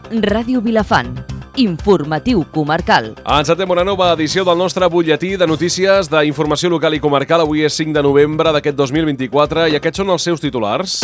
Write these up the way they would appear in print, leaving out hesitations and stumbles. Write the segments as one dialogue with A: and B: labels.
A: Ràdio Vilafant. Informatiu comarcal.
B: Encetem una nova edició del nostre butlletí de notícies d'informació local i comarcal. Avui és 5 de novembre d'aquest 2024 i aquests són els seus titulars.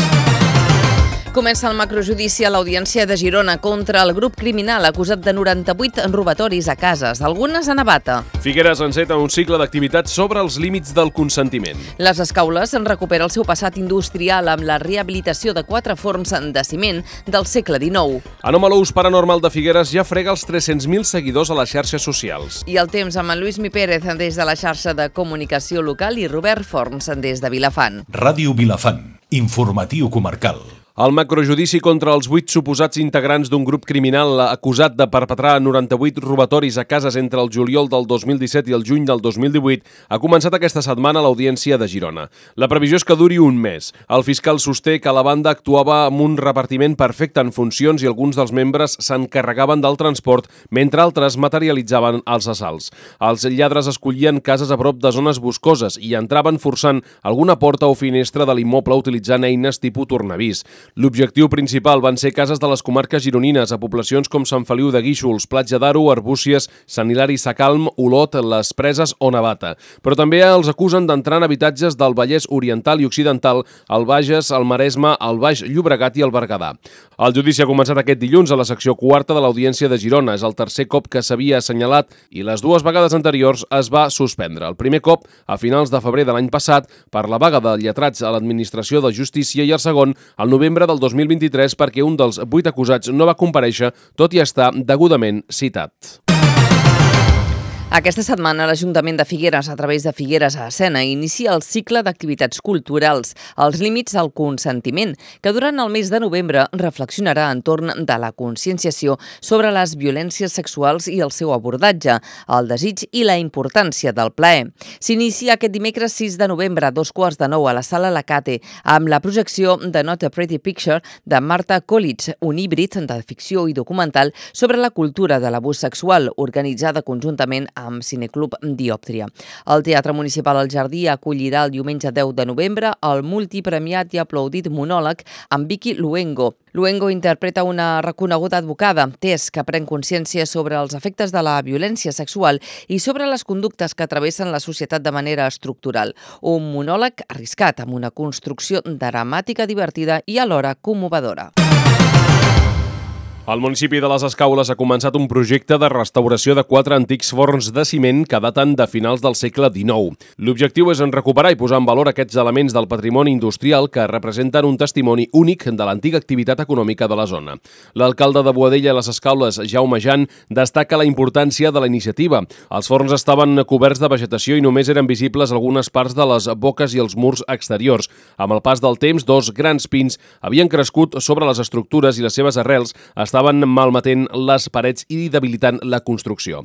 C: Comença el macrojudici a l'Audiència de Girona contra el grup criminal acusat de 98 robatoris a cases, algunes a Navata.
B: Figueres enceta un cicle d'activitats sobre els límits del consentiment.
C: Les Escaules en recupera el seu passat industrial amb la rehabilitació de 4 forns de ciment del segle XIX.
B: Anomalous Paranormal de Figueres ja frega els 300.000 seguidors a les xarxes socials.
C: I el temps amb en Lluís Mi Pérez des de la xarxa de comunicació local i Robert Forns des de Vilafant.
D: Ràdio Vilafant. Informatiu comarcal.
B: El macrojudici contra els 8 suposats integrants d'un grup criminal acusat de perpetrar 98 robatoris a cases entre el juliol del 2017 i el juny del 2018 ha començat aquesta setmana a l'Audiència de Girona. La previsió és que duri un mes. El fiscal sosté que la banda actuava amb un repartiment perfecte en funcions i alguns dels membres s'encarregaven del transport mentre altres materialitzaven els assalts. Els lladres escollien cases a prop de zones boscoses i entraven forçant alguna porta o finestra de l'immoble utilitzant eines tipus tornavís. L'objectiu principal van ser cases de les comarques gironines a poblacions com Sant Feliu de Guíxols, Platja d'Aro, Arbúcies, Sant Hilari Sacalm, Olot, Les Preses o Navata. Però també els acusen d'entrar en habitatges del Vallès Oriental i Occidental, el Bages, el Maresme, el Baix Llobregat i el Berguedà. El judici ha començat aquest dilluns a la secció quarta de l'Audiència de Girona. És el tercer cop que s'havia assenyalat i les dues vegades anteriors es va suspendre. El primer cop, a finals de febrer de l'any passat, per la vaga de lletrats a l'Administració de Justícia i el segon, al novembre del 2023 perquè un dels 8 acusats no va comparèixer, tot i estar degudament citat.
C: Aquesta setmana l'Ajuntament de Figueres, a través de Figueres a Escena, inicia el cicle d'activitats culturals, els límits al consentiment, que durant el mes de novembre reflexionarà entorn de la conscienciació sobre les violències sexuals i el seu abordatge, el desig i la importància del plaer. S'inicia aquest dimecres 6 de novembre a 8:45 a la Sala Lacate amb la projecció de Not a Pretty Picture de Marta Collins, un híbrid de ficció i documental sobre la cultura de l'abús sexual, organitzada conjuntament amb Cineclub Diòptria. El Teatre Municipal El Jardí acollirà el diumenge 10 de novembre el multipremiat i aplaudit monòleg amb Vicky Luengo. Luengo interpreta una reconeguda advocada, Tess, que pren consciència sobre els efectes de la violència sexual i sobre les conductes que travessen la societat de manera estructural. Un monòleg arriscat, amb una construcció dramàtica divertida i alhora commovedora.
B: El municipi de les Escaules ha començat un projecte de restauració de 4 antics forns de ciment que daten de finals del segle XIX. L'objectiu és recuperar i posar en valor aquests elements del patrimoni industrial que representen un testimoni únic de l'antiga activitat econòmica de la zona. L'alcalde de Boadella i les Escaules, Jaume Jan, destaca la importància de la iniciativa. Els forns estaven coberts de vegetació i només eren visibles algunes parts de les boques i els murs exteriors. Amb el pas del temps, 2 grans pins havien crescut sobre les estructures i les seves arrels estaven malmetent les parets i debilitant la construcció.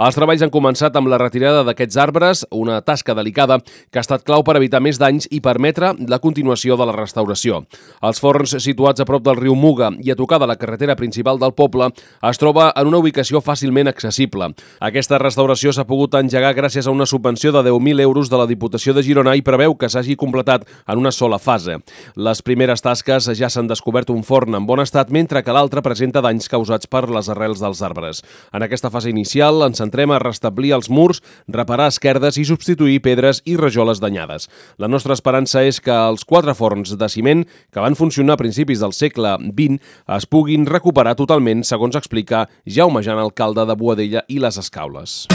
B: Els treballs han començat amb la retirada d'aquests arbres, una tasca delicada que ha estat clau per evitar més danys i permetre la continuació de la restauració. Els forns situats a prop del riu Muga i a tocar de la carretera principal del poble es troba en una ubicació fàcilment accessible. Aquesta restauració s'ha pogut engegar gràcies a una subvenció de 10.000 euros de la Diputació de Girona i preveu que s'hagi completat en una sola fase. Les primeres tasques ja s'han descobert un forn en bon estat, mentre que l'altre presenta danys causats per les arrels dels arbres. En aquesta fase inicial ens centrem a restablir els murs, reparar esquerdes i substituir pedres i rajoles danyades. La nostra esperança és que els 4 forns de ciment que van funcionar a principis del segle XX es puguin recuperar totalment, segons explica Jaume Jan, alcalde de Boadella i les Escaules.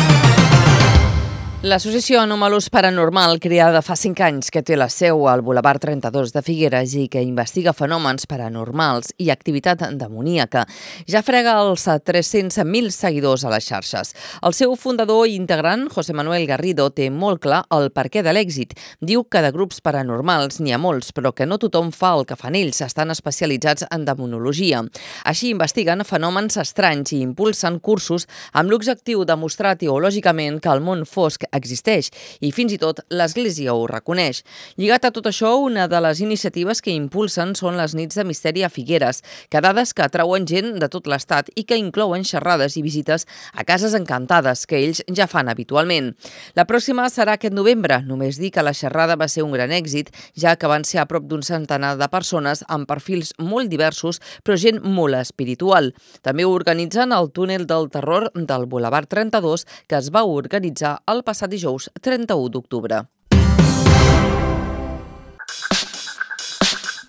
C: L'associació Anomalous Paranormal, creada fa 5 anys, que té la seu al Boulevard 32 de Figueres i que investiga fenòmens paranormals i activitat demoníaca, ja frega els 300.000 seguidors a les xarxes. El seu fundador i integrant, José Manuel Garrido, té molt clar el perquè de l'èxit. Diu que de grups paranormals n'hi ha molts, però que no tothom fa el que fan ells, estan especialitzats en demonologia. Així investiguen fenòmens estranys i impulsen cursos amb l'objectiu de mostrar teològicament que el món fosc existeix i fins i tot l'Església ho reconeix. Lligat a tot això, una de les iniciatives que impulsen són les nits de misteri a Figueres, quedades que atrauen gent de tot l'estat i que inclouen xerrades i visites a cases encantades que ells ja fan habitualment. La pròxima serà aquest novembre. Només dir que la xerrada va ser un gran èxit, ja que van ser a prop d'un centenar de persones amb perfils molt diversos, però gent molt espiritual. També ho organitzen al túnel del terror del Boulevard 32, que es va organitzar el passat dijous 31 d'octubre.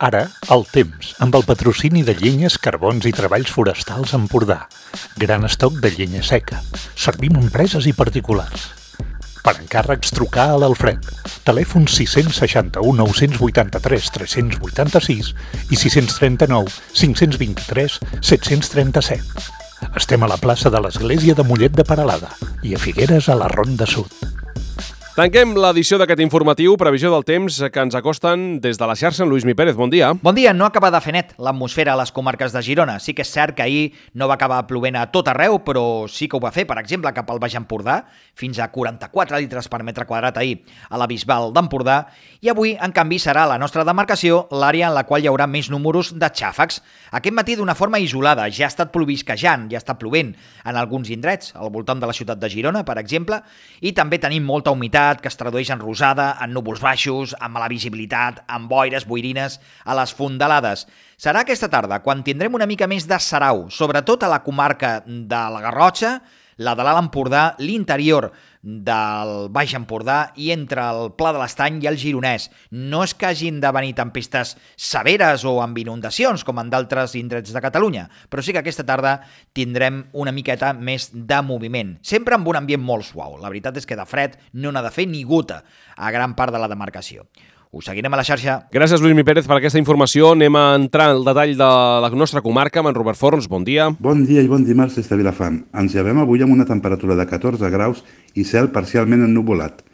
E: Ara, el temps, amb el patrocini de Llenyes, Carbons i Treballs Forestals Empordà. Gran estoc de llenya seca. Servim a empreses i particulars. Per encàrrecs, trucar a l'Alfred. Telèfon 661 983 386 i 639 523 737. Estem a la plaça de l'Església de Mollet de Peralada i a Figueres a la Ronda Sud.
B: Tanquem l'edició d'aquest informatiu, previsió del temps que ens acosten des de la xarxa. Lluís Mi Pérez, bon dia.
F: Bon dia. No acaba de fer net l'atmosfera a les comarques de Girona. Sí que és cert que ahir no va acabar plovent a tot arreu, però sí que ho va fer, per exemple, cap al Baix Empordà, fins a 44 litres per metre quadrat ahir a la Bisbal d'Empordà, i avui, en canvi, serà la nostra demarcació l'àrea en la qual hi haurà més números de xàfecs. Aquest matí, d'una forma isolada, ja ha estat plovisquejant, ja està plovent en alguns indrets, al voltant de la ciutat de Girona, per exemple, i també tenim molta humitat que es tradueix en rosada, en núvols baixos, amb mala visibilitat, amb boires, boirines, a les fondalades. Serà aquesta tarda quan tindrem una mica més de sarau, sobretot a la comarca de la Garrotxa, la de l'Alt Empordà, l'interior del Baix Empordà i entre el Pla de l'Estany i el Gironès. No és que hagin de venir tempestes severes o amb inundacions com en d'altres indrets de Catalunya, però sí que aquesta tarda tindrem una miqueta més de moviment, sempre amb un ambient molt suau. La veritat és que de fred no n'ha de fer ni gota a gran part de la demarcació. Us seguirem a la xarxa.
B: Gràcies, Lluís Mi Pérez, per aquesta informació. Anem a entrar al detall de la nostra comarca amb en Robert Forns. Bon dia.
G: Bon dia i bon dimarts des de Vilafant. Ens llevem avui amb una temperatura de 14 graus i cel parcialment ennuvolat.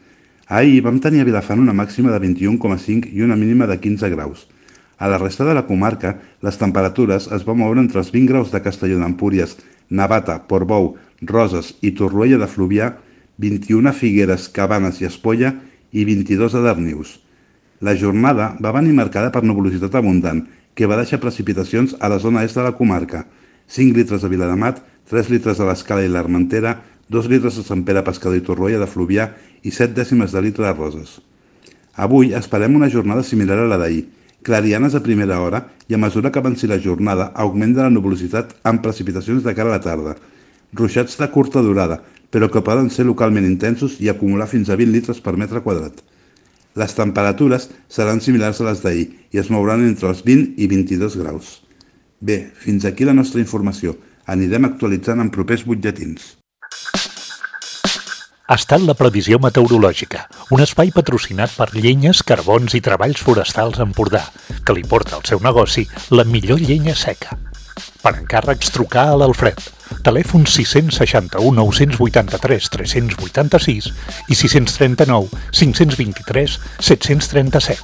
G: Ahir vam tenir a Vilafant una màxima de 21,5 i una mínima de 15 graus. A la resta de la comarca, les temperatures es van moure entre els 20 graus de Castelló d'Empúries, Navata, Portbou, Roses i Torroella de Fluvià, 21 a Figueres, Cabanes i Espolla i 22 a Darnius. La jornada va venir marcada per nuvolositat abundant, que va deixar precipitacions a la zona est de la comarca. 5 litres a Viladamat, 3 litres a l'Escala i l'Armentera, 2 litres a Sant Pere Pescador i Torroella de Fluvià i 7 dècimes de litre a Roses. Avui esperem una jornada similar a la d'ahir, clarianes a primera hora i a mesura que avanci la jornada augment de la nuvolositat amb precipitacions de cara a la tarda. Ruixats de curta durada, però que poden ser localment intensos i acumular fins a 20 litres per metre quadrat. Les temperatures seran similars a les d'ahir i es mouran entre els 20 i 22 graus. Bé, fins aquí la nostra informació. Anirem actualitzant en propers butlletins.
E: Ha estat la previsió meteorològica, un espai patrocinat per Llenyes, Carbons i Treballs Forestals Empordà, que li porta al seu negoci la millor llenya seca. Per encàrrecs, trucar a l'Alfred. Telèfon 661 983 386 i 639 523 737.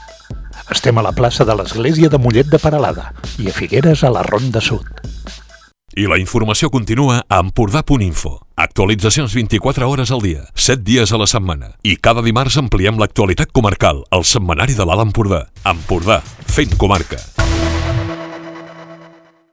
E: Estem a la plaça de l'Església de Mollet de Peralada i a Figueres a la Ronda Sud.
H: I la informació continua a Empordà.info. Actualitzacions 24 hores al dia, 7 dies a la setmana. I cada dimarts ampliem l'actualitat comarcal, al setmanari de l'Alt Empordà. Empordà, fent comarca.